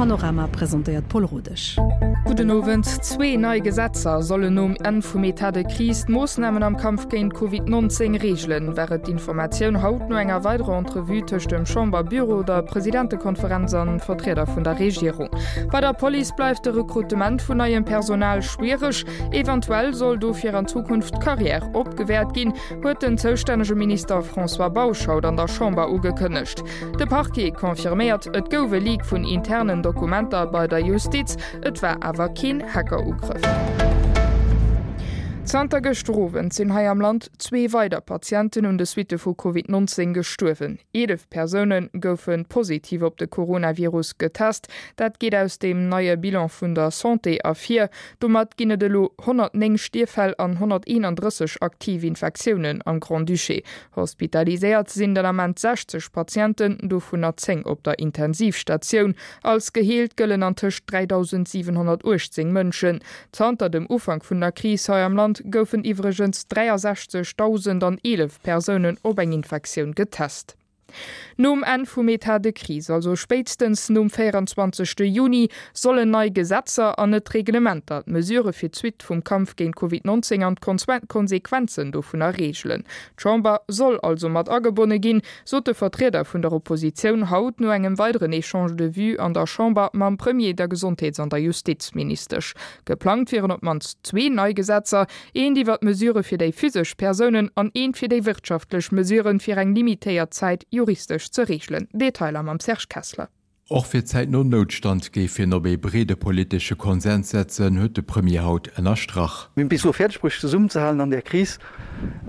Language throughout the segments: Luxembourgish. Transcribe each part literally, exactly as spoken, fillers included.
Panorama presentéiert d'Paule Rodesch. Gudden Owend. Zwee nei Gesetzer sollen nom Enn vum Etat de crise d'Moossnamen am Kampf géint Covid neunzéng reegelen, war et d'Informatioun haut no enger weiderer Entrevue tëscht dem Chamberbüro, der Presidentekonferenz an Vertrieder vun der Regierung. Bei der Police bleift de Rekrutement vun neiem Personal schwiereg. Eventuell soll dofir an Zukunft d'Carrière opgewäert ginn, huet den zoustännege Minister François Bausch haut an der Chamber ugekënnegt. De Parquet confirméiert, et gouf e Leak vun internen Dokumenter bei der Justiz, et war awer keen Hackerugrëff. Zanter gëschter Owend sinn hei am Land zwee weider Patienten un de Suitte vu Covid neunzéng gestuerwen. Eelef Persoune goufe positiv op de Coronavirus getest. Dat geet aus dem neie Bilan vun der Santé ervir. Domat ginn et elo honnertnéng Stierffäll an honnerteenandrësseg aktiv Infektiounen am Grand-Duché. Hospitaliséiert sinn den Ament sechzeg Patienten, dovunner zéng op der Intensivstatioun. Als geheelt gëllen antëscht dräidausendsiwenhonnertuechtzéng Mënschen. Zanter dem Ufank vun der Kris hei am Land goufen iwwregens dräiasechzegdausendeneelef Persounen op eng Infektioun getest. Nom Enn vum Etat de crise, also spéitstens nom véieranzwanzegste Juni, sollen nei Gesetzer an net Reglementer d'Mesurë fir d'Suite vum Kampf géint Covid neunzéng an d'Konsequenzen dovunner reegelen. D'Chamber soll also mat agebonne ginn, sot de Vertrieder vun der Oppositioun haut no engem weideren Echange de vues an der Chamber mam Premier, der Gesondheets an der Justizministesch. Geplangt wieren op d'mannst zwee nei Gesetzer, eent iwwer d'Mesurë fir déi physesch Persounen an eent fir déi wirtschaftlech Mesuren, fir eng limitéiert Zäit juristesch ze reegelen. Detailer mam Serge Kessler. Och fir d'Zäit nom Noutstand géif hien op ee breede politesche Konsens setzen, huet de Premier haut ënnerstrach. Mir hunn et bis elo fäerdeg bruecht zesummenzehalen an där Kris,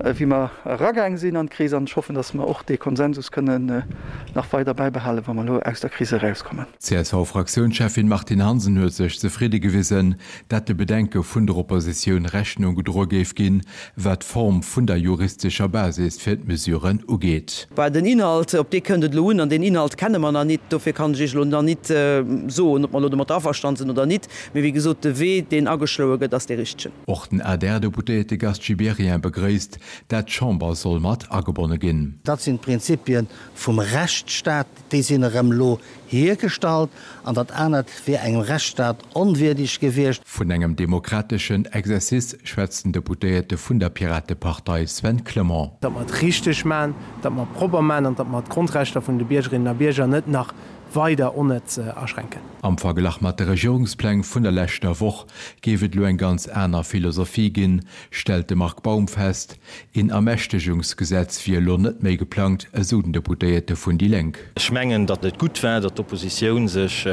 wéi mer eragaang sinn an d'Kris, an ech hoffen, datt mer och dee Konsensus kënnen nach weider bäibehalen, wa mer elo aus der Kris erauskommen. D'C S V-Fraktiounscheffin Martine Hansen huet sech zefridde gewisen, dat de Bedenke vun der Oppositioun Rechnung gedroe géif ginn, wat d'Form vun der juristescher Basis fir d'Mesuren ugeet. Bah, den Inhalt, op dee kënnt et elo un, an deen Inhalt kenne mer nach nit. Dofir kann ech Iech elo nach nit soen, ob mer elo domat averstane sinn oder nit. Mee wéi gesot, de Wee, deen ageschloe gëtt, ass dee richtegen. Och den A D R-Deputéierte Gast Gibéryen begréisst, dat d'Chamber soll mat agebonne ginn. Dat sinn d'Prinzipie vum Rechtsstaat, déi sinn erëm elo hiergestallt, an dat anert wier engem Rechtsstaat onwierdeg gewiescht. Vun engem demokrateschen Exercice schwätzt den Deputéierte vun der Piratepartei Sven Clement. Datt mer et richteg maachen, datt mer et propper maachen an datt mer d'Grondrechter vun de Biergerinnen a Bierger net nach weider onnëtz aschränken. Am Verglach mat de Regierungspläng vun der leschter Woch géif et elo eng ganz aner Philosophie ginn, stellt de Marc Baum fest. Een Ermächtegungsgesetz wier elo net méi geplangt, esou den Deputéierte vun déi Lénk. Ech mengen, datt et gutt war, datt d'Oppositioun sech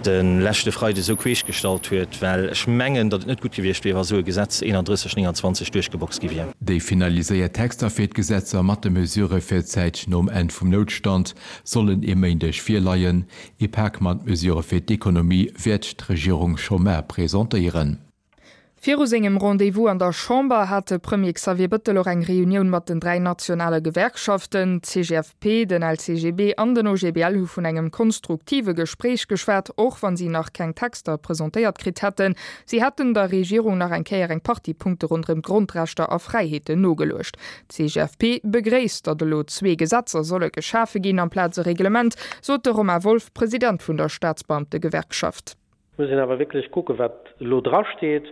de leschte Freide esou queesch gestallt huet, well ech mengen, datt et net gutt gewiescht wier, wa esou e Gesetz eenandrësseg nénganzwanzeg duerchgeboxt gi wier. Déi finaliséiert Texter fir d'Gesetzer mat de Mesurë fir d'Zäit nom Enn vum Noutstand sollen e Méindeg virleien. Ee Pak mat Mesurë fir d'Ekonomie wäert d'Regierung scho mar presentéieren. Viru sengem Rendez-vous an der Chamber hat de Premier Xavier Bettel och eng Reunioun mat den dräi nationale Gewerkschaften, C G F P, den L C G B an den O G B L hu vun engem konstruktive Gespréich geschwat, och wann si nach keng Texter presentéiert kritt hätten. Si hätten der Regierung nach eng Kéier eng Partie Punkte ronderëm d'Grondrechter a Fräiheeten nogeluecht. D'C G F P begréisst, datt elo zwee Gesetzer solle geschafe ginn amplaz e Reglement, sot de Romain Wolff, President vun der Staatsbeamtegewerkschaft. Muss een awer wierklech kucken, wat elo drasteet.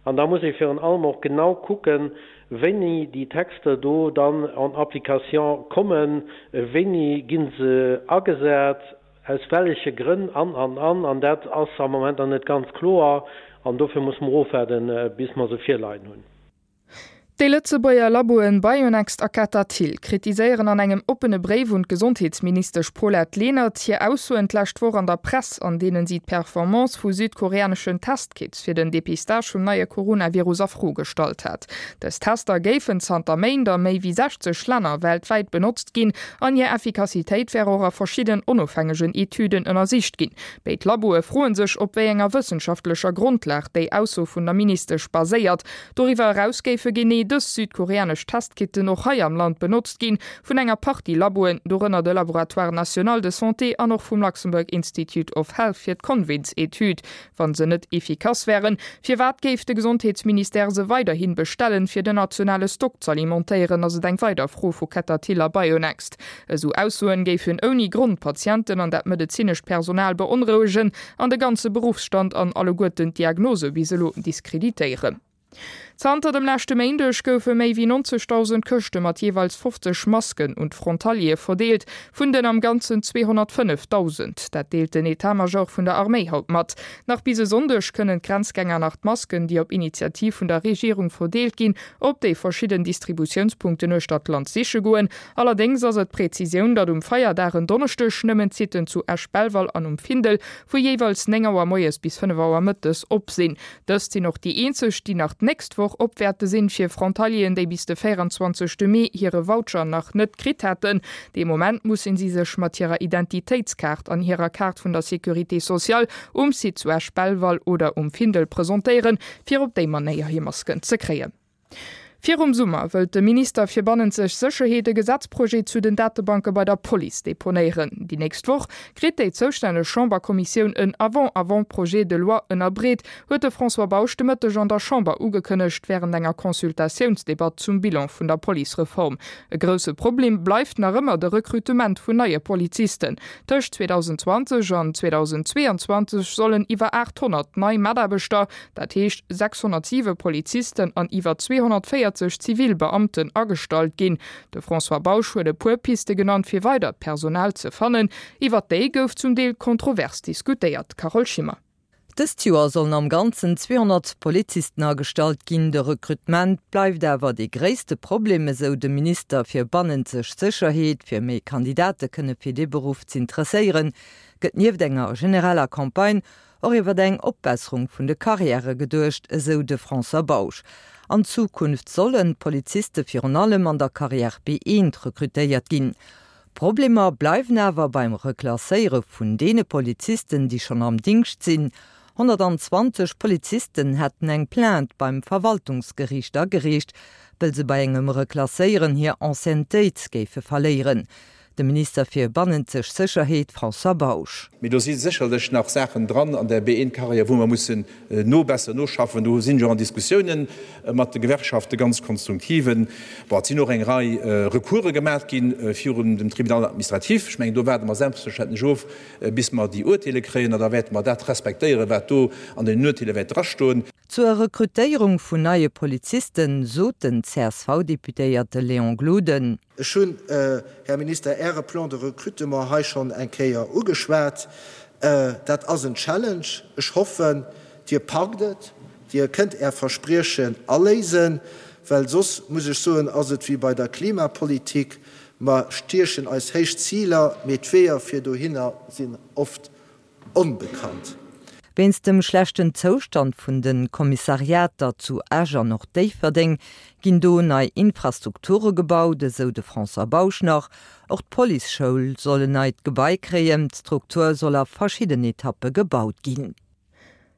An da muss ee virun allem och genau kucken, wéini déi Texter do dann en application kommen, wéini gi se agesat, aus welleche Grënn an, an, an. An dat ass am Moment nach net ganz kloer. An dofir muss mer ofwaarden, bis mer se virleien hunn. Déi Lëtzebuerger Laboen Bionext a Ketatil kritiséieren an engem oppene Bréif un d'Gesondheetsministesch Paulette Lenert hir Aussoen d'lescht Woch an der Press, an deenen si d'Performance vu südkoreaneschen Testkits fir den Depistage vum neie Coronavirus a Fro gestallt hat. Dës Tester géifen zanter Méint a méi wéi sechzeg Länner weltwäit benotzt ginn an hir Effikassitéit wär och a verschiddenen onofhängegen Etüden ënnersicht ginn. Béid Laboe froe sech, op wéi enger wëssenschaftlecher Grondlag déi Ausso vun der Ministesch baséiert. Doriwwer eraus géife genee dës südkoreanesch Testkitten och hei am Land benotzt ginn, vun enger Partie Laboen, dorënner de Laboratoire national de santé an och vum Luxembourg Institute of Health fir d'Convince-Etüd. Wa se net efficace wären, firwat géif de Gesondheetsministère se weiderhi bestellen, fir den nationale Stock z'alimentéieren, ass et eng weider Fro vu Ketter Thill a Bionext. Esou Aussoen géifen ouni Grond d'Patienten an dat medezinescht Personal beonrouegen an de ganze Beruffsstand an alleguerten d'Diagnose bis elo diskreditéieren. Zanter dem leschte Méindeg goufe méi wéi neunzegdausend Këschte mat jeeweils fofzeg Masken un d'Frontaliere verdeelt, vun den am Ganzen zweehonnertfënnefdausend. Dat deelt den Etat-Major vun der Arméi haut mat. Nach bis e Sonndeg kënnen d'Grenzgänger nach d'Masken, déi op Initiativ vun der Regierung verdeelt ginn, op déi verschidden Distributiounspunkten uechter d'Land siche goen. Allerdéngs ass et d'Prezisioun, datt um Feierdag en Donneschdeg nëmmen d'Sitten zu Esch-Belval an um Findel vu jeeweils néng Auer moies bis fënnef Auer mëttes op sinn. Dëst sinn och déi eenzeg, déi nach d'nächst Woch op wäerte sinn, fir Frontalieren, déi bis de véierundzwanzegste Mee hire Voucher nach net kritt hätten. Dee Moment mussen si sech mat hirer Identitéitskaart an hirer Kaart vun der Sécurité sociale um Site zu Esch-Belval oder um Findel presentéieren, fir op déi Manéier hir Masken ze kréien. Virum Summer wëllt de Minister fir bannenzeg Sécherheet e Gesetzprojet zu den Datebanke bei der Police deponéieren. Déi nächst Woch kritt déi zoustänneg Chamberkommissioun en Avant-avant-projet de loi ënnerbreet, huet de François Bausch de Mëtteg an der Chamber ugekënnegt wärend enger Consultatiounsdebatt zum Bilan vun der Policereform. E grousse Problem bleift nach ëmmer de Rekrutement vun neie Polizisten. Tëscht zweedausendzwanzeg an zweedausendzweeanzwanzeg sollen iwwer aathonnert nei Mataarbechter, dat heescht sechshonnertsiwe Polizisten an iwwer zweehonnertvéierzeg zivil Beamten agestallt ginn. De François Bausch huet e puer Piste genannt, fir weidert Personal ze fannen. Iwwer déi gouf zum Deel kontrovers diskutéiert. Carole Schimmer. Dëst Joer sollen am Ganzen zweehonnert Polizisten agestallt ginn. De Rekrutement bleift awer dee gréisste Problem, esou de Minister fir bannenzeg Sécherheet. Fir méi Kandidate kënne fir dee Beruff z'interesséieren, gëtt nieft enger genereller Campagne och iwwer eng Opbesserung vun de Karriäre geduecht, esou de François Bausch. An Zukunft sollen d'Poliziste virun allem an der Carrière B eent rekrutéiert ginn. Problemer bleiwen awer beim Reklasséiere vun deene Polizisten, déi schonn am Dingscht sinn. Honnertanzwanzeg Polizisten hätten eng Plainte beim Verwaltungsgeriicht agereecht, wëll se bei engem Reklasséieren hir Anciennetéit géife verléieren. De Minister fir bannenzeg Sécherheet François Bausch. Mee do si sécherlech nach Saachen dran an der B eent-Karriär, wou mer mussen nobesseren, noschaffen. Do sinn jo an Diskussiounen mat de Gewerkschaften, ganz konstruktiven. Bon, et sinn och eng Rei Recourse gemaach ginn virun dem Tribunal administratif. Ech mengen, do waarde mer selbstverständlech of, bis mer déi Urteele kréien, an da wäerte mer dat respektéieren, wat do an den Urteele wäert drastoen. Zur Rekrutéierung vun neie Polizisten sot den C S V-Deputéierte Léon Gloden. Ech hunn, Här Minister, Äre Plan de recrutement hei schonn eng Kéier ugeschwat. Dat ass en Challenge. Ech hoffen, Dir packt et, Dir kënnt Är Verspriechen aléisen, well soss, muss ech soen, ass et wéi bei der Klimapolitik. Mer stiechen eis héich Ziler, mee d'Weeër fir dohinner sinn oft onbekannt. Wéinst dem schlechten Zoustand vun de Kommissariater zu Esch an och Déifferdeng ginn do nei Infrastrukture gebaut, esou de François Bausch nach. Och d'Policeschoul soll en neit Gebai kréien, d'Struktur soll a verschidden Etappe gebaut ginn.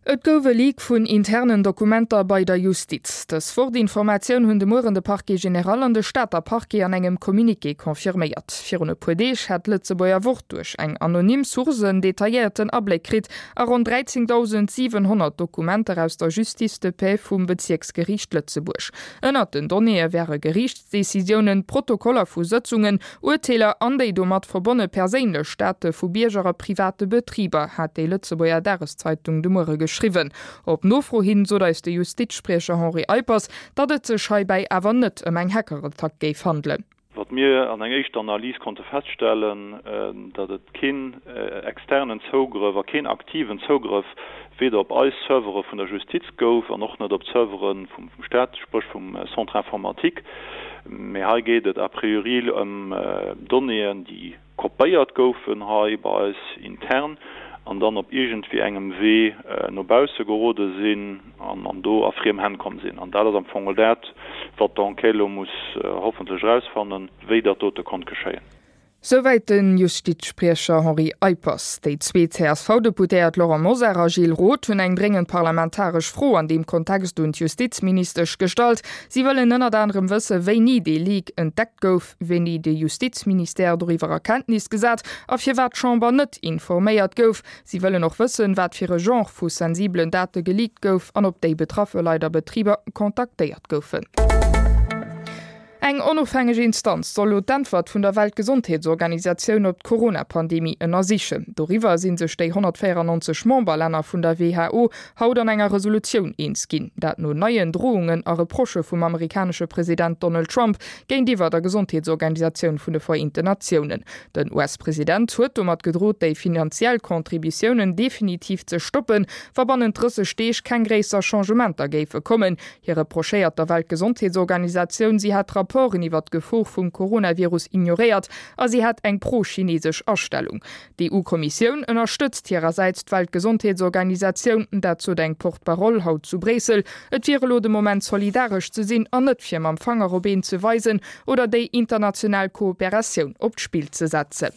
Et gouf e Leak vun internen Dokumenter bei der Justiz. Dës Wort-Informatioun hunn de Mueren de Parquet général an de Stater Parquet an engem Communiqué confirméiert. Virun e puer Deeg hat d'Lëtzebuerger Wort duerch eng anonym Source en detailléierten Abléck kritt a ronn dräizehndausendsiwenhonnert Dokumenter aus der Justice de paix vum Bezierksgeriicht Lëtzebuerg. Ënnert den Donnéeë wäre Geriichtsdecisiounen, Protokoller vu Sëtzungen, Urteeler an déi domat verbonne perséinlech Date vu Bierger a private Betriber, hat déi Lëtzebuerger Dageszeitung de Muere geschriwwen. Op Nofro hin sot eis de Justizspriecher Henri Eippers, datt et sech heibäi awer net ëm eng Hackerattack géif handelen. Wat mir an enger éischter Analys konnte feststellen, datt et keen externen Zougrëff a keen aktiven Zougrëff weder op eis Servere vun der Justiz gouf an och net op d'Servere vum Staat, sprich vum Centre informatique. Mee hei geet et a priori ëm Donnéeën, déi kopéiert goufen hei bei eis intern an dann op iergendwéi engem Wee no bausse gerode sinn an, an do a friem Hänn komm sinn. An dat ass am Fong dat, wat d'Enquête lo muss hoffentlech rausfannen, wéi dat dote konnt geschéien. Souwäit de Justizspriecher Henri Eippers. Déi zwee C S V-Deputéiert Laurent Mosar a Gilles Roth hunn eng dréngend parlamentaresch Fro an deem Kontext un d'Justizministesch gestallt. Si wëllen ënnert anerem wësse wéini dee Leak entdeckt gouf, wéini de Justizministère doriwwer a Kenntnis gesat a firwat d'Chamber net informéiert gouf. Si wëllen och wëssen, wat fir e Genre vu sensibelen Date geleakt gouf an ob déi betraffe Leit a Betriber kontaktéiert goufen. Eng onofhängeg Instanz soll lo d'Äntwert vun der Weltgesondheetsorganisatioun op d'Corona-Pandemie ënnersichen. Doriwwer sinn sech déi honnertvéierennonzeg Memberlänner vun der W H O haut an enger Resolutioun eens ginn. Dat no neien Droungen a Reprochë vum amerikanesche President Donald Trump géintiwwer der Gesondheetsorganisatioun vun de Vereenten Natiounen. Den U S-President huet domat gedrot, déi finanziell Contributiounen definitiv ze stoppen, wa bannent drësseg Deeg keng gréisser Changementer géife kommen. Hie reprochéiert der Weltgesondheetsorganisatioun, si hätt Rapporten iwwer d'Gefor vum Coronavirus ignoréiert a si hätt eng pro-chinesesch Astellung. D'E U-Kommissioun ënnerstëtzt hirersäits d'Weltgesondheetsorganisatioun, dat sot eng Porte-parole haut zu Bréissel. Et wier elo de Moment solidaresch ze sinn an net fir mam Fanger op een ze weisen oder déi international Kooperatioun op d'Spill ze setzen.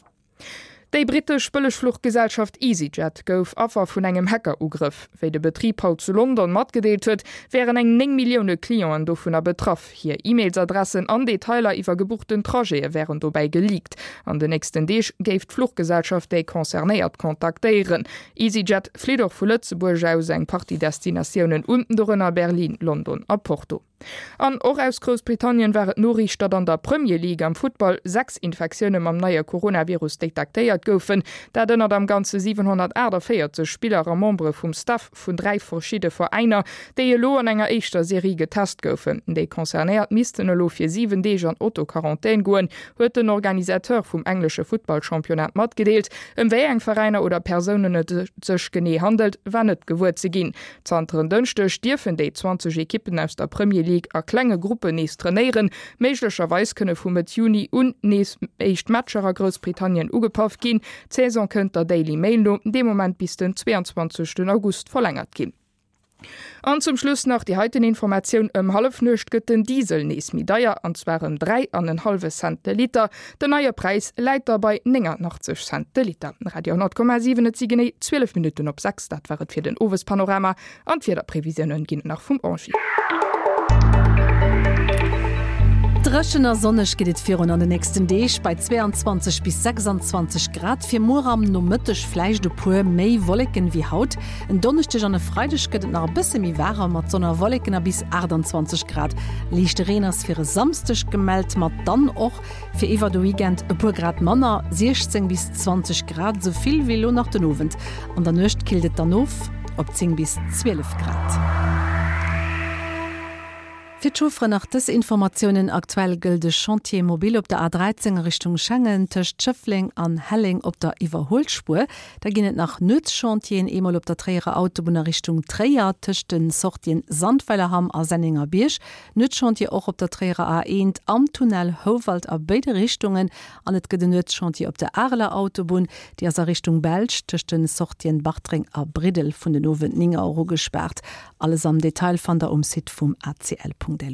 Déi brittesch Bëllegfluchgesellschaft EasyJet gouf Affer vun engem Hackerugrëff. Wéi de Betrib haut zu London matgedeelt huet, wären eng néng Millioune Clienten dovunner betraff. Hir E-Mailsadressen an Detailer iwwer gebuchten Trajete wären dobäi geleakt. An den nächsten Deeg géif d'Fluchgesellschaft déi Concernéiert kontaktéieren. EasyJet flitt och vu Lëtzebuerg aus eng Partie Destinatiounen un, dorënner Berlin, London a Porto. An och aus Groussbritannien war et d'Noriicht, datt an der Premier League am Futtball sechs Infektioune mam neie Coronavirus detektéiert goufen, dat ënnert am Ganze siwenhonnertaachtavéierzeg Spiller a Membere vum Staff vun dräi verschiddene Veräiner, déi elo an enger éischter Serie getest goufen. Déi Concernéiert missten elo fir siwen Deeg an Autoquarantän goen, huet den Organisateur vum englesche Futtballchampionnat matgedeelt. Ëm wéi eng Veräiner oder Persounen et sech genee handelt, war net gewuer ze ginn. Zanter en Dënschdeg dierfen déi zwanzeg Ekippen aus der Premier League a klenge Gruppen nees trainéieren. Méiglecherweis kënne vu Mëtt Juni un nees éischt Matcher a Groussbritannien ugepaff ginn. D'Saison kënnt der Daily Mail no dee Moment bis den zweeanzwanzegsten August verlängert ginn. An zum Schluss nach déi heiten Informatioun, Ëm Hallefnuecht gëtt den Diesel nees méi deier, an zwar ëm dräi an en hallwe Cent de Liter. Den neie Präis läit da bei néngannachtzeg Cent de Liter. Radio honnert Komma siwen, et si genee zwielef Minutten op sechs. Dat war et fir den Owespanorama an d'Wiederprevisiounen ginn et nach vum Angie. Dréchen a sonneg geet et virun an den nächsten Deeg bei zweeanzwanzeg bis sechsanzwanzeg Grad. Fir muer am Nomëtteg vläicht e puer méi Wolleken wéi haut. En Donneschdeg an e Freideg gëtt et nach e bësse méi waarem mat Sonn a Wolleken a bis aachtanzwanzeg Grad. Liichte Reen ass fir e Samsdeg gemellt, mat dann och fir iwwer de Weekend e puer Grad manner, siechzéng bis zwanzeg Grad, esou vill wéi elo nach den Owend. An der Nuecht killt et dann of op zéng bis zwielef Grad. Fir d'Chaufferen nach dës Informatiounen, Aktuell gëllt de Chantier mobile op der A dräizéng Richtung Schengen tëscht Schëffleng an Helleng op der Iwwerhuelspuer. Da ginn et nach Nuetschantieren, eemol op der Tréierer Autobunn a Richtung Tréier tëscht den Sortien Sandweilerhamm a Sennengerbierg. Nuetschantier och op der Tréierer A eent am Tunnel Houwald a béide Richtungen an et gëtt en Nuetschantier op der Areler Autobunn, déi ass a Richtung Belsch tëscht den Sortien Bartreng a Briddel vun den Owend néng Auer u gespaart. Alles am Detail fannt der um Site vum A C L Punkt L U.